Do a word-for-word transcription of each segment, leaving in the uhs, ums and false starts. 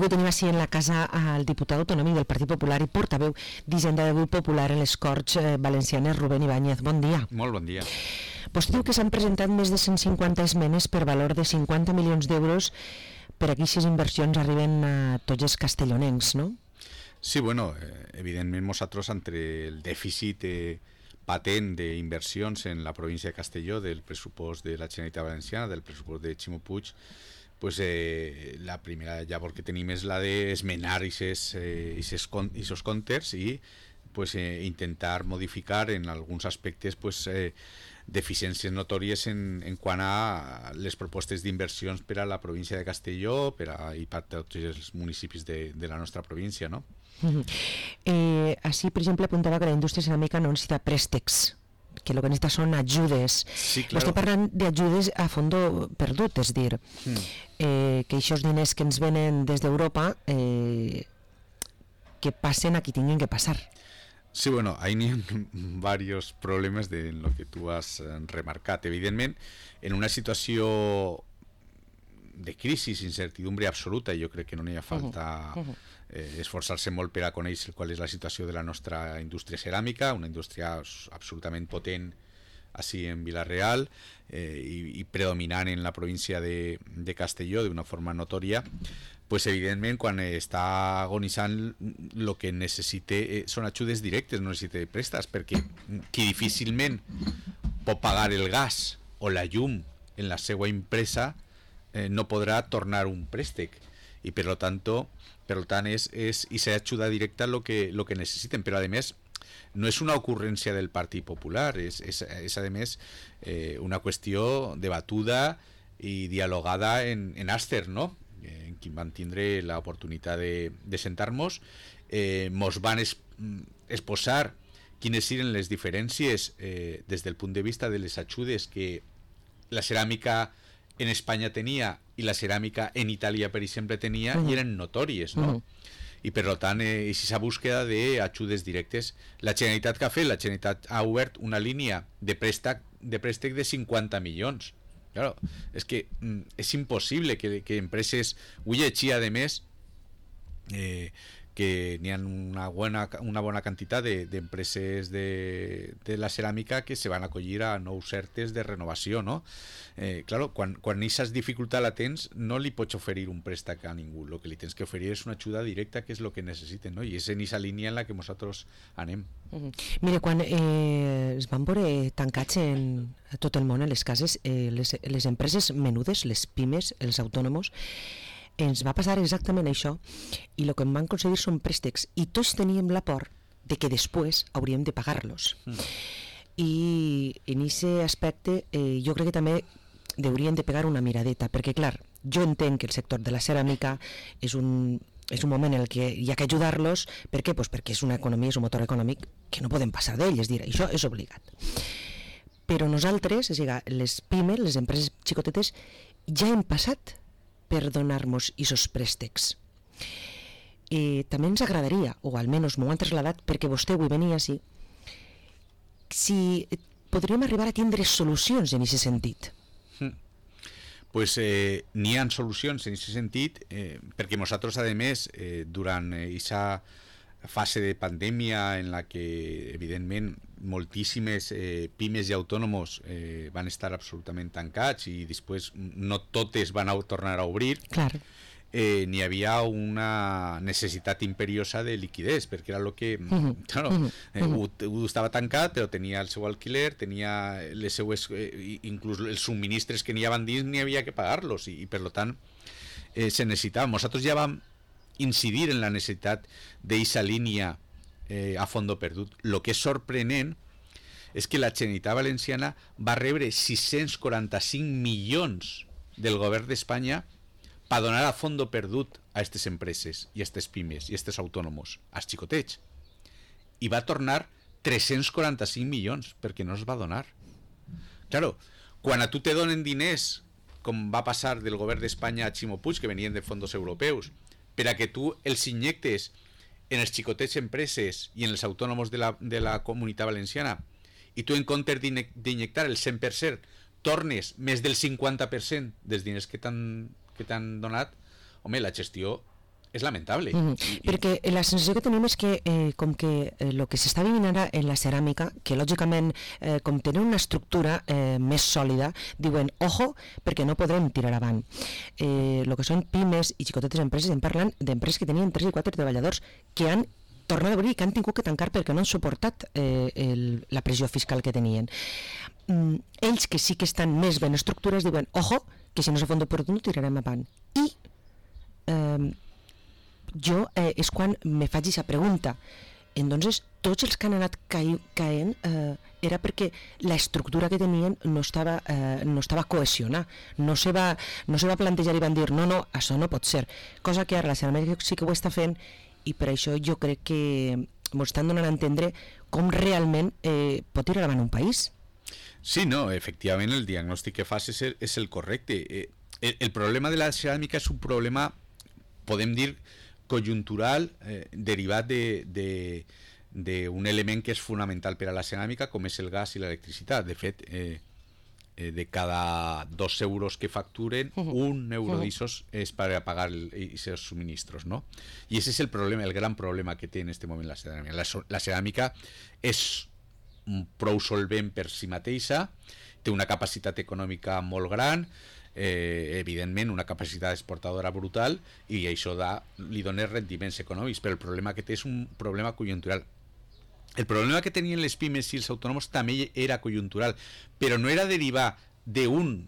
Avui tenim així en la casa al diputat autonòmic del Partit Popular i portaveu d'Hisenda del Grup Popular en les Corts eh, Valencianes, Rubén Ibáñez. Bon dia. Molt bon dia. Vostè diu que s'han presentat més de cent cinquanta esmenes per valor de cinquanta milions d'euros per a que aquestes inversions arriben a tots els castellonencs, no? Sí, bueno, eh, evidentment nosaltres entre el dèficit eh, patent d'inversions en la província de Castelló, del pressupost de la Generalitat Valenciana, del pressupost de Ximo Puig, pues eh, la primera llavor que tenim és la d'esmenar aquests eh, comptes i pues, eh, intentar modificar en alguns aspectes pues, eh, deficiències notòries en, en quant a les propostes d'inversions per a la província de Castelló per a, i per a tots els municipis de, de la nostra província, no? Uh-huh. eh, així, per exemple, apuntava que la indústria ceràmica no necessita préstecs, que el que necessita són ajudes. Sí, claro. Estic parlant d'ajudes a fondo perdut, és dir, mm. eh, que aquests diners que ens venen des d'Europa eh, que passen a qui tinguin que passar. Sí, bueno, ahí n'hi ha varios problemes de lo que tu has remarcat. Evidentment, en una situació de crisi, incertidumbre absoluta, jo crec que no n'hi ha falta uh-huh. eh, esforçar-se molt per a conèixer qual és la situació de la nostra indústria ceràmica, una indústria absolutament potent així en Vila-real eh, i, i predominant en la província de, de Castelló d'una forma notòria. Pues evidentment quan està agonitzant el que necessita eh, són ajudes directes, no necessita préstecs, perquè qui difícilment pot pagar el gas o la llum en la seva empresa eh, no podrà tornar un préstec i per lo tanto, per lo tant és, és i s'ha ajuda directa lo que, lo que necessiten, però a més no és una ocurrència del Partit Popular, és, és, és a més eh, una qüestió debatuda i dialogada en, en Àster, no? En qui van tindre l'oportunitat de, de sentar-nos, eh, mos van es, exposar quines eren les diferències eh, des del punt de vista de les ajudes que la ceràmica en Espanya tenia i la ceràmica en Itàlia, per exemple, tenia, uh-huh. i eren notòries, no? Uh-huh. I per tant, eh, aquesta búsqueda d'ajudes directes, la Generalitat que ha fet, la Generalitat ha obert una línia de préstec de, préstec de cinquanta milions. Claro, es que mm, es imposible que, que empreses, ho llegir a més eh, que n'hi ha una bona, una bona quantitat d'empreses de, de, de la ceràmica que se van acollir a nous certes de renovació, no? Eh, claro, quan, quan aquestes dificultats la tens, no li pots oferir un préstec a ningú, el que li tens que oferir és una ajuda directa, que és el que necessiten, no? I és en aquesta línia en la que nosaltres anem. Uh-huh. Mira, quan eh, es van veure tancats en a tot el món, en les cases, eh, les, les empreses menudes, les pimes, els autònoms, ens va passar exactament això, i el que em van aconseguir són préstecs, i tots teníem la por de que després hauríem de pagar-los. Mm. I en aquest aspecte eh, jo crec que també haurien de pegar una miradeta, perquè clar, jo entenc que el sector de la ceràmica és un, és un moment en el que hi ha que ajudar-los. Per què? Pues perquè és una economia, és un motor econòmic que no podem passar d'ell, és dir, això és obligat. Però nosaltres, és a dir, les pimes, les empreses xicotetes, ja hem passat per donar-nos aquests préstecs. I també ens agradaria, o almenys m'ho han traslladat perquè vostè avui venia així, si podríem arribar a tindre solucions en aquest sentit. Mm. Pues eh, n'hi ha solucions en aquest sentit, eh, perquè nosaltres, a més, eh, durant aquesta fase de pandèmia en la que, evidentment, moltíssimes eh, pimes i autònoms eh, van estar absolutament tancats i després no totes van a tornar a obrir. Clar. Eh, n'hi havia una necessitat imperiosa de liquidez, perquè era el que uh-huh. claro, eh, uh-huh. ho, ho estava tancat, però tenia el seu alquiler, tenia les seues, eh, inclús els subministres que n'hi havia dins, n'hi havia que pagar-los, i, i per tant eh, se necessitava. Nosaltres ja vam incidir en la necessitat d'aquesta línia eh, a fondo perdut. El que és sorprenent és que la Generalitat Valenciana va rebre sis-cents quaranta-cinc milions del govern d'Espanya per donar a fondo perdut a aquestes empreses i a aquestes pimes i a aquests autònoms, als xicotets. I va tornar tres-cents quaranta-cinc milions perquè no es va donar. Claro, quan a tu te donen diners, com va passar del govern d'Espanya a Ximo Puig, que venien de fondos europeus, per a que tu els injectes en els xicotets empreses i en els autònoms de la, de la comunitat valenciana, i tu en comptes d'injectar el cent per cent tornes més del cinquanta per cent dels diners que t'han que t'han donat, home, la gestió és lamentable. Mm -hmm. I, perquè la sensació que tenim és que eh, com que el eh, que s'està vivint ara en la ceràmica, que lògicament eh, com tenen una estructura eh, més sòlida, diuen, ojo, perquè no podrem tirar avant. Eh, el que són pimes i xicotetes empreses, em parlen d'empreses que tenien tres i quatre treballadors que han tornat a obrir i que han tingut que tancar perquè no han suportat eh, el, la pressió fiscal que tenien. Mm, ells que sí que estan més ben estructures diuen, ojo, que si no s'ha fons per no tirarem avant. I eh, jo eh, és quan me faig aquesta pregunta. Entonces, tots els que han anat caient eh, era perquè la estructura que tenien no estava, eh, no estava cohesionada, no se, va, no se va plantejar i van dir no, no, això no pot ser, cosa que ara la Ceràmica sí que ho està fent, i per això jo crec que ens estan donant a entendre com realment eh, pot tirar davant un país. Sí, no, efectivament el diagnòstic que fas és el, és el correcte. Eh, el, el problema de la ceràmica és un problema, podem dir, conjuntural, eh, derivat de, de, d'un element que és fonamental per a la ceràmica, com és el gas i l'electricitat. De fet, eh, eh, de cada dos euros que facturen, uh -huh. un euro uh -huh. d'aixòs és per a pagar aquests subministros, no? I ese és el problema, el gran problema que té en aquest moment la ceràmica. La, la ceràmica és prou solvent per si mateixa, té una capacitat econòmica molt gran, eh, evidentment una capacitat exportadora brutal, i això da, li dona rendiments econòmics, però el problema que té és un problema conjuntural. El problema que tenien les pimes i els autònoms també era conjuntural, però no era derivar d'un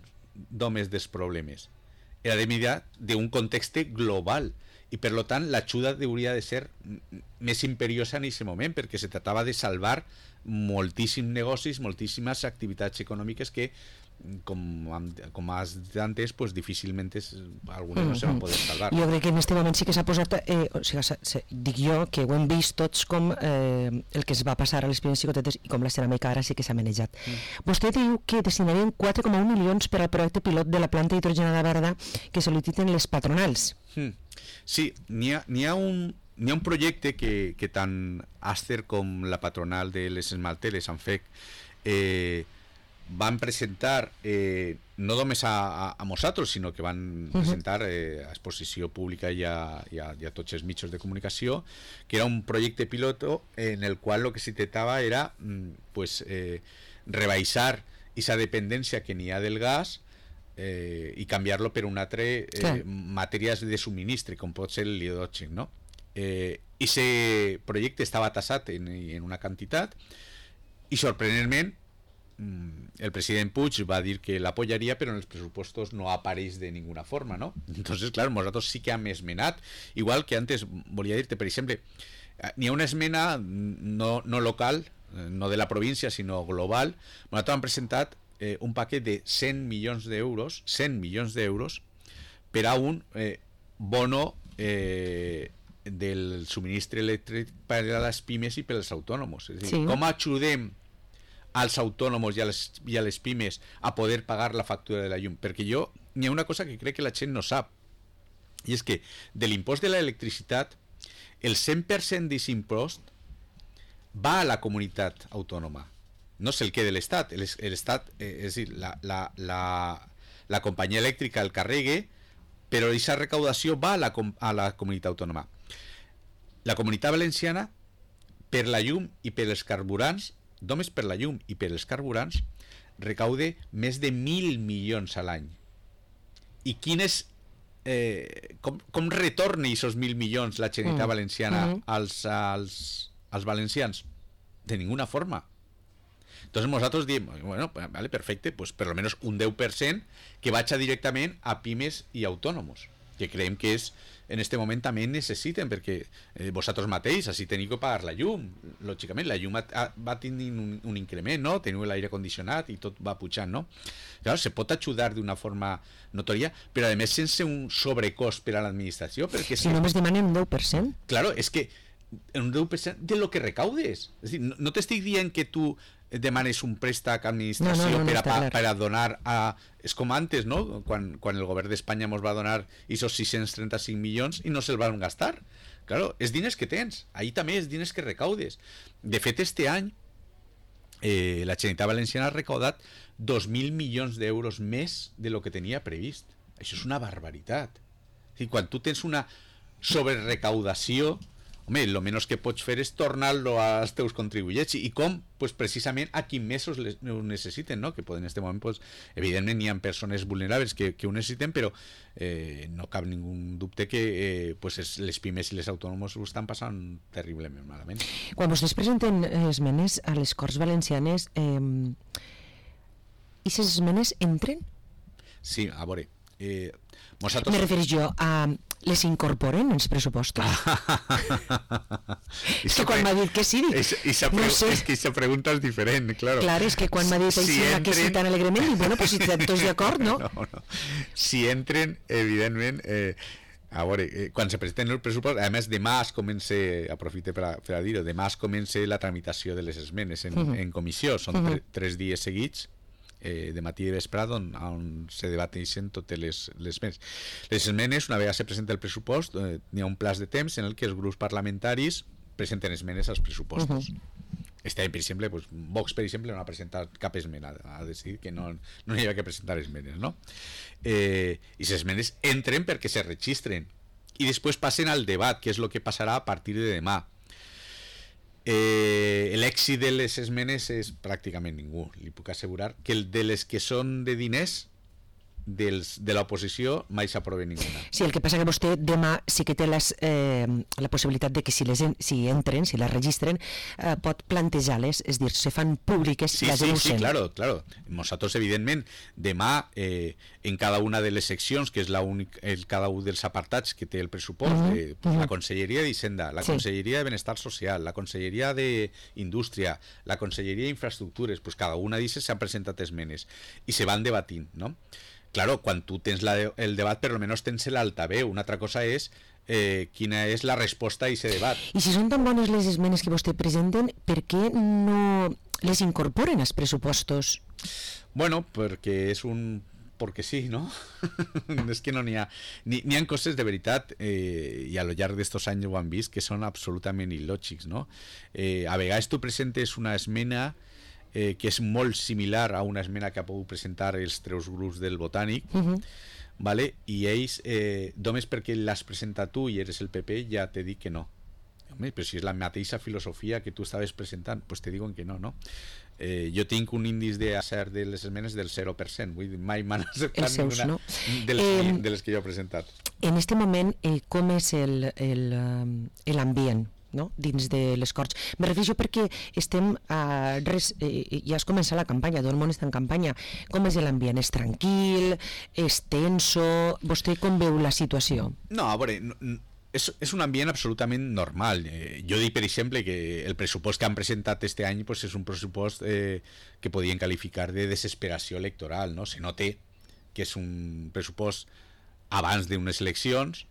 només dels problemes, era derivar d'un context global, i per tant l'ajuda hauria de ser més imperiosa en aquest moment, perquè se tractava de salvar moltíssims negocis, moltíssimes activitats econòmiques que, com, com has dit antes, pues difícilment és, algunes no se van poder salvar. Jo crec que en aquest moment sí que s'ha posat, eh, o sigui, dic jo que ho hem vist tots com eh, el que es va passar a les pimes xicotetes i com la ceràmica ara sí que s'ha manejat. Mm. Vostè diu que destinarien quatre coma un milions per al projecte pilot de la planta hidrogenada verda que sol·liciten les patronals. Mm. Sí, n'hi ha, n'hi ha un N'hi ha un projecte que, que tant Aster com la patronal de les esmalteres, Anfec, eh, van presentar eh, no només a, a, a nosaltres, sinó que van uh-huh. presentar eh, a exposició pública i a, i, a, i a tots els mitjans de comunicació, que era un projecte piloto en el qual el que se tratava era pues, eh, rebaixar aquesta dependència que n'hi ha del gas eh, i canviar-lo per un altre eh, matèries de subministre, com pot ser l'hidrogen, no? Eh, ese projecte estava tasat en, en una quantitat i sorprenentment el president Puig va dir que l'apoyaria, però en els pressupostos no apareix de ninguna forma, ¿no? Entonces, claro, nosaltres sí que hem esmenat, igual que antes volia dir-te, per exemple, n'hi ha una esmena no, no local, no de la província, sinó global. Nosaltres hem presentat eh, un paquet de cent milions d'euros, cent milions d'euros per a un eh, bono eh, del subministre elèctric per a les pimes i per als autònoms. És a dir, sí. Com ajudem als autònoms i a, les, i a les pimes a poder pagar la factura de la llum? Perquè jo, n'hi ha una cosa que crec que la gent no sap, i és que de l'impost de l'electricitat el cent per cent d'aquest impost va a la comunitat autònoma, no és el que de l'Estat. L'Estat, eh, és a dir, la, la, la, la companyia elèctrica el carregue, però aquesta recaudació va a la, a la comunitat autònoma. La comunitat valenciana, per la llum i per els carburants, només per la llum i per els carburants, recaude més de mil milions a l'any. I quin és, eh, com, com retorna aquests mil milions la Generalitat mm. valenciana mm. als, als, als valencians? De ninguna forma. Entonces nosaltres diem, bueno, vale, perfecte, pues per lo menos un deu per cent que vagi directament a pimes i autònoms, que creiem que és en este moment també necessiten, perquè eh, vosaltres mateix, així teniu que pagar la llum, lògicament, la llum ha, ha, va tenir un, un increment, no? Teniu l'aire condicionat i tot va pujant, no? Clar, se pot ajudar d'una forma notòria, però a més sense un sobrecost per a l'administració, perquè... Si només demanen un deu per cent. Claro, és que un deu per cent de lo que recaudes. És dir, no, no t'estic dient que tu demanes un préstec a l'administració no, no, no, per, a, per a donar a... És com antes, no? Quan, quan el govern d'Espanya ens va donar aquests sis-cents trenta-cinc milions i no se'ls van gastar. Claro, és diners que tens. Ahí també és diners que recaudes. De fet, este any eh, la Generalitat Valenciana ha recaudat dos mil milions d'euros més de lo que tenia previst. Això és una barbaritat. És dir, quan tu tens una sobre recaudació, home, el menys que pots fer és tornar-lo als teus contribuents i com, pues, precisament a quins mesos les, ho necessiten, no? Que en aquest moment, pues, evidentment hi ha persones vulnerables que, que ho necessiten, però eh, no cap ningú dubte que eh, pues es, les pimes i les autònoms ho estan passant terriblement malament. Quan vostès presenten esmenes a les Corts Valencianes, eh, i aquestes esmenes entren? Sí, a veure... Eh, Me refereix jo a... les incorporen en els pressupostos? És que quan m'ha dit que sí, dic, esa, esa no sé. És que aquesta pregunta és diferent, claro. Clar, és que quan m'ha dit si entren... que sí tan alegrement, dic, bueno, pues si tots d'acord, no? no? No, si entren, evidentment... Eh, a veure, eh, quan se presenten el pressupost, a més demà es comença, aprofite per a, per a dir-ho, demà es comença la tramitació de les esmenes en, uh -huh. en comissió, són uh -huh. tre, tres dies seguits, Eh, de matí i de vesprada on, on se debateixen totes les, les esmenes. Les esmenes, una vegada se presenta el pressupost, eh, n'hi ha un plaç de temps en el que els grups parlamentaris presenten esmenes als pressupostos. Uh -huh. Este any, per exemple, pues, Vox, per exemple, no ha presentat cap esmena, ha decidit que no, no hi havia que presentar esmenes, no? Eh, I les esmenes entren perquè se registren i després passen al debat, que és el que passarà a partir de demà. Eh, l'èxit de les esmenes és pràcticament ningú, li puc assegurar que el de les que són de diners dels, de l'oposició mai s'aprova ninguna. Sí, el que passa que vostè demà sí que té les, eh, la possibilitat de que si les en, si entren, si les registren, eh, pot plantejar-les, és dir, se fan públiques, sí, les sí, denuncien. Sí, claro, claro. Nosaltres, evidentment, demà eh, en cada una de les seccions, que és la única, el, cada un dels apartats que té el pressupost, uh -huh, de, pues, uh -huh. la Conselleria d'Hisenda, la sí. Conselleria de Benestar Social, la Conselleria d'Indústria, la Conselleria d'Infraestructures, pues cada una d'aquestes s'han presentat esmenes i se van debatint, no? Claro, quan tu tens la, el debat, per almenys tens l'altaveu. Una altra cosa és eh, quina és la resposta a aquest debat. I si són tan bones les esmenes que vostè presenten, per què no les incorporen als pressupostos? Bueno, perquè és un... perquè sí, no? És que no n'hi ha... N'hi ha coses de veritat, eh, i a lo llarg d'estos anys ho han vist, que són absolutament il·lògics, no? Eh, a vegades tu presentes una esmena Eh, que és molt similar a una esmena que ha pogut presentar els tres grups del Botànic, uh -huh. vale? I ells, eh, només perquè l'has presentat tu i eres el P P, ja te dic que no. Home, però si és la mateixa filosofia que tu estaves presentant, pues te diuen que no, no? Eh, jo tinc un índice d'acert de les esmenes del zero per cent, vull dir, mai m'han acceptat seus, ninguna no? de, les, eh, de les que jo he presentat. En aquest moment, eh, com és l'ambient, no? Dins de les Corts? Me refereixo perquè estem a res, eh, ja has començat la campanya, tot el món està en campanya. Com és l'ambient? És tranquil? És tenso? Vostè com veu la situació? No, a veure, no, és, és un ambient absolutament normal. Eh, jo dic, per exemple, que el pressupost que han presentat este any pues, és un pressupost eh, que podien qualificar de desesperació electoral, no? Se nota que és un pressupost abans d'unes eleccions,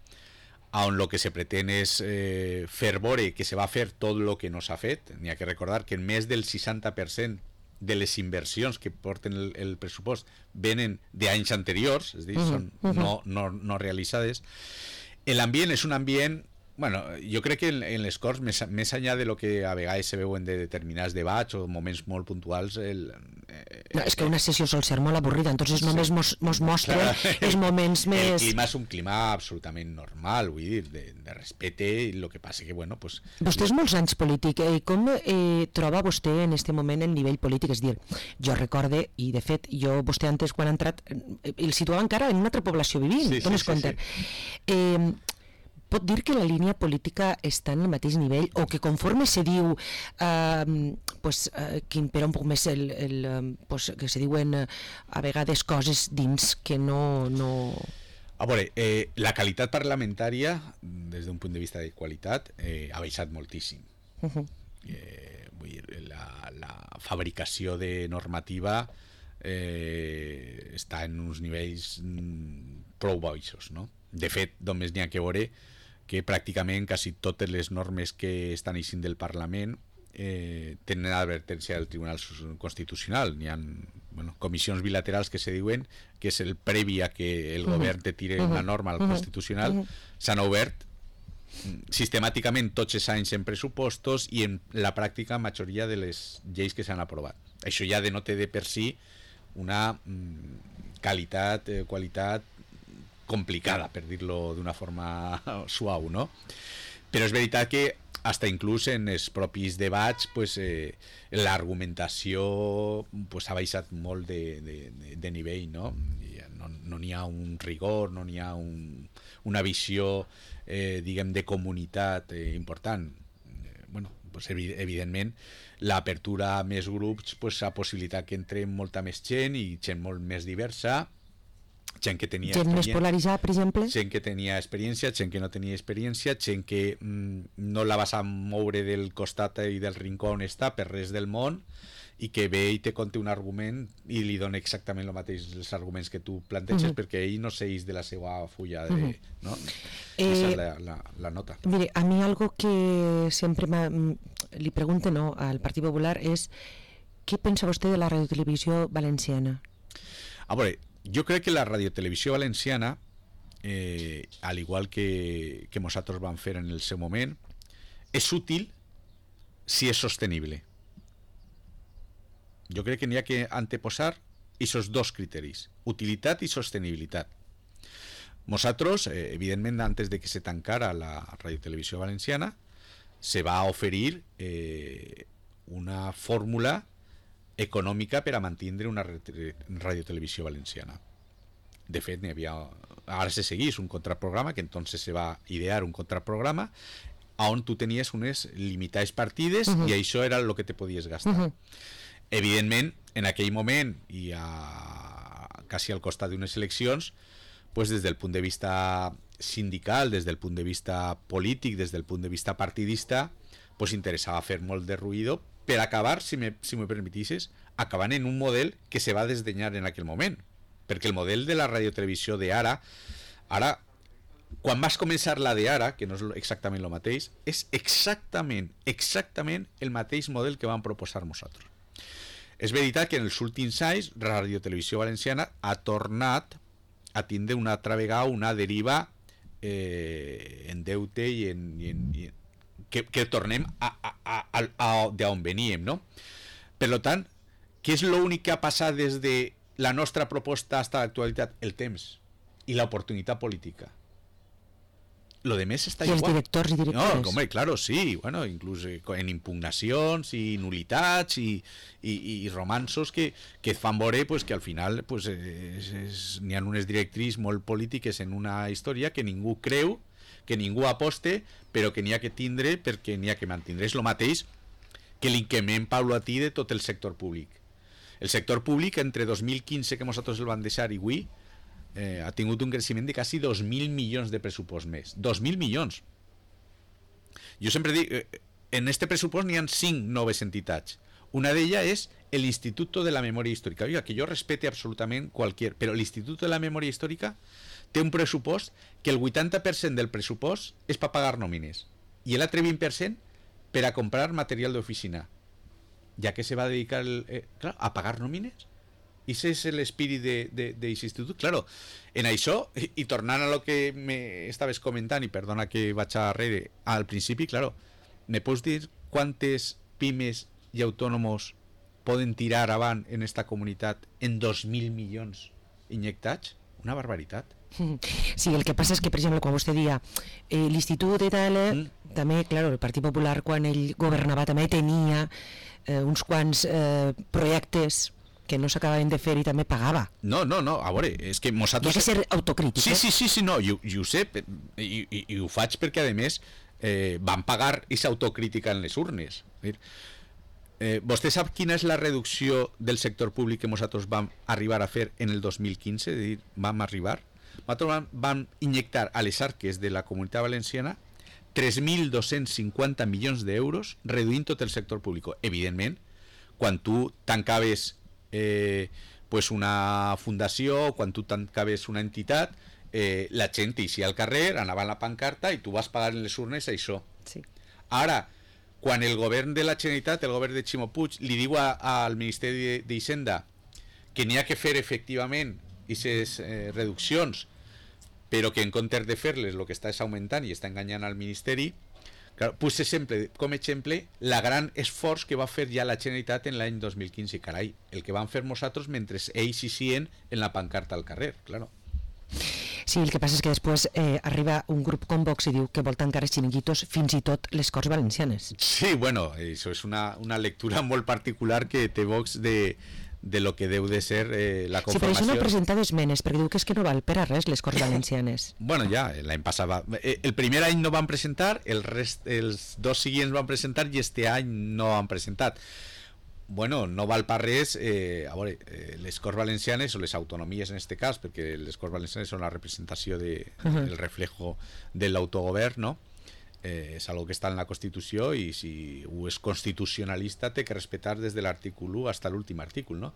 on el que se pretén és eh, fer veure que se va fer tot el que no s'ha fet. N'hi ha que recordar que més del seixanta per cent de les inversions que porten el, el pressupost venen d'anys anteriors, és a dir, uh -huh, són uh -huh. no, no, no realitzades. L'ambient és un ambient... Bueno, jo crec que en, en les Corts, més, més enllà de lo que a vegades se veuen de determinats debats o moments molt puntuals... El, eh, no, és que una sessió sol ser molt avorrida, entonces sí. només mos, mos mostra clar, els moments més... El clima és un clima absolutament normal, vull dir, de, de respecte, i el que passa que, bueno, pues... Vostè és molts anys polític, eh, com eh, troba vostè en este moment el nivell polític? És dir, jo recorde, i de fet, jo, vostè antes quan ha entrat, eh, el situava encara en una altra població vivint, sí, dones sí, compte. Sí, sí. Eh, pot dir que la línia política està en el mateix nivell o que conforme se diu eh, pues, eh, que impera un poc més el, el, pues, que se diuen eh, a vegades coses dins que no... no... A veure, eh, la qualitat parlamentària des d'un punt de vista de qualitat eh, ha baixat moltíssim. Uh -huh. eh, vull dir, la, la fabricació de normativa eh, està en uns nivells mm, prou baixos, no? De fet, només n'hi ha que veure que pràcticament quasi totes les normes que estan eixint del Parlament eh, tenen advertència del Tribunal Constitucional. N'hi ha bueno, comissions bilaterals que se diuen que és el previ a que el uh -huh. govern te tire uh -huh. una norma al uh -huh. Constitucional. Uh -huh. S'han obert sistemàticament tots els anys en pressupostos i en la pràctica majoria de les lleis que s'han aprovat. Això ja denota de per si una mm, qualitat, eh, qualitat complicada, per dir-lo d'una forma suau, no? Però és veritat que hasta inclús en els propis debats pues, eh, l'argumentació pues, ha baixat molt de, de, de nivell, no? No, no n'hi ha un rigor, no n'hi ha un, una visió eh, diguem de comunitat eh, important. Eh, bueno, pues, evidentment l'apertura a més grups pues, ha possibilitat que entre molta més gent i gent molt més diversa, gent que tenia gent més polaritzada, per exemple, gent que tenia experiència, gent que no tenia experiència, gent que mm, no la vas a moure del costat i del rincó on està per res del món, i que ve i te conta un argument i li dona exactament el mateix els arguments que tu planteges, uh-huh. perquè ell no s'eix de la seva fulla de, uh-huh. no? Eh, esa és la, la, la nota. Mire, a mi algo que sempre li pregunto, no, al Partit Popular és què pensa vostè de la radiotelevisió valenciana? A veure, jo crec que la radiotelevisió valenciana, eh, al igual que, que nosaltres vam fer en el seu moment, és útil si és sostenible. Jo crec que n'hi ha que anteposar aquests dos criteris, utilitat i sostenibilitat. Nosaltres, eh, evidentment, antes de que se tancara la radiotelevisió valenciana, se va oferir eh, una fórmula econòmica per a mantenir una radiotelevisió valenciana. De fet, n'hi havia, ara se seguís un contraprograma, que entonces se va idear un contraprograma on tu tenies unes limitades partides uh-huh. i això era el que te podies gastar. Uh-huh. Evidentment, en aquell moment i a, quasi al costat d'unes eleccions, pues des del punt de vista sindical, des del punt de vista polític, des del punt de vista partidista, pues interessava fer molt de ruïdo per acabar, si me, si me permetisses, acabant en un model que se va desdenyar en aquell moment. Perquè el model de la radiotelevisió d'ara, ara, quan vas començar la d'ara, que no és exactament el mateix, és exactament, exactament el mateix model que vam proposar nosaltres. És veritat que en els últims anys Radiotelevisió Valenciana ha tornat a tindre una altra vegada una deriva eh, en deute i en, i en, i en que, que tornem a, a, a, a, a d'on veníem, no? Per tant, què és l'únic que ha passat des de la nostra proposta fins a l'actualitat? El temps i l'oportunitat política. Lo de més està I igual. els directors i directores. No, home, claro, sí, bueno, inclús en impugnacions i nulitats i, i, i romansos que, que et fan veure pues, que al final pues, n'hi ha unes directrius molt polítiques en una història que ningú creu, que ningú aposte, però que n'hi ha que tindre perquè n'hi ha que mantindre. És el mateix que l'increment paulatí de tot el sector públic. El sector públic, entre dos mil quinze, que nosaltres el vam deixar, i avui, Eh, ha tingut un creixement de quasi dos mil milions de pressupost més. dos mil milions. Jo sempre dic, eh, en este pressupost n'hi ha cinc noves entitats. Una d'elles és l'Institut de la Memòria Històrica. Oiga, que jo respete absolutament qualsevol, però l'Institut de la Memòria Històrica té un pressupost que el vuitanta per cent del pressupost és per pagar nòmines i l'altre vint per cent per a comprar material d'oficina. Ja que se va dedicar el, eh, clar, a pagar nòmines. I ese és l'espírit d'aquest institut. Claro, en això, i, i tornant a lo que me estaves comentant, i perdona que vaig a darrere, al principi, claro, me pots dir quantes pimes i autònoms poden tirar avant en esta comunitat en dos mil milions inyectats? Una barbaritat. Sí, el que passa és que, per exemple, quan vostè dia eh, l'Institut de tal, mm. també, claro, el Partit Popular, quan ell governava, també tenia eh, uns quants eh, projectes que no s'acabaven de fer i també pagava. No, no, no, a veure, és que nosaltres... Hi ha que ser autocrític. Sí, sí, sí, sí, no, jo, jo ho sé, i, i, i ho faig perquè, a més, eh, van pagar aquesta autocrítica en les urnes. Eh, vostè sap quina és la reducció del sector públic que nosaltres vam arribar a fer en el dos mil quinze? És a dir, vam arribar... Nosaltres vam, vam injectar a les arques de la Comunitat Valenciana tres mil dos-cents cinquanta milions d'euros reduint tot el sector públic. Evidentment, quan tu tancaves Eh, pues una fundació, quan tu tancaves una entitat, eh, la gent eixia al carrer, anava a la pancarta i tu vas pagar en les urnes això. Sí. Ara, quan el govern de la Generalitat, el govern de Ximo Puig, li diu a, al Ministeri d'Hisenda que n'hi ha que fer efectivament aquestes eh, reduccions, però que en comptes de fer-les el que està és augmentant i està enganyant al Ministeri, claro, puse sempre com a exemple la gran esforç que va fer ja la Generalitat en l'any dos mil quinze. Carai, el que van fer nosaltres mentre ells hi sien en la pancarta al carrer, claro. Sí, el que passa és que després eh, arriba un grup com Vox i diu que vol tancar els xiringuitos, fins i tot les Corts Valencianes. Sí, bueno, eso es una, una lectura molt particular que té Vox de, de lo que deu de ser eh, la conformació. Sí, però això no ha presentat esmenes, perquè diu que és que no val per a res les Corts Valencianes. Bueno, ja, l'any passat va... El primer any no van presentar, el rest, els dos seguients van presentar i este any no han presentat. Bueno, no val per res, eh, a veure, eh, les Corts Valencianes, o les autonomies en este cas, perquè les Corts Valencianes són la representació de, uh-huh. el reflejo de l'autogovern, no? Eh, és algo que està en la Constitució i si ho és constitucionalista té que respetar des de l'article u fins a l'últim article, no?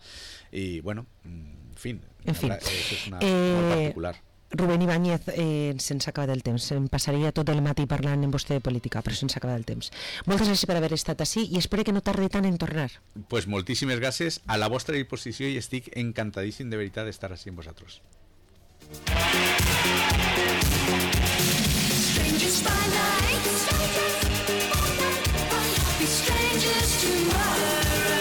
I, bueno, en fi, en fi. Això és una eh... molt particular. Rubén Ibáñez, eh, se'ns acaba el temps. Em passaria tot el matí parlant amb vostè de política, però se'ns acaba el temps. Moltes gràcies per haver estat ací i espero que no tardi tant en tornar. Pues moltíssimes gràcies, a la vostra disposició i estic encantadíssim de veritat d'estar així amb vosaltres.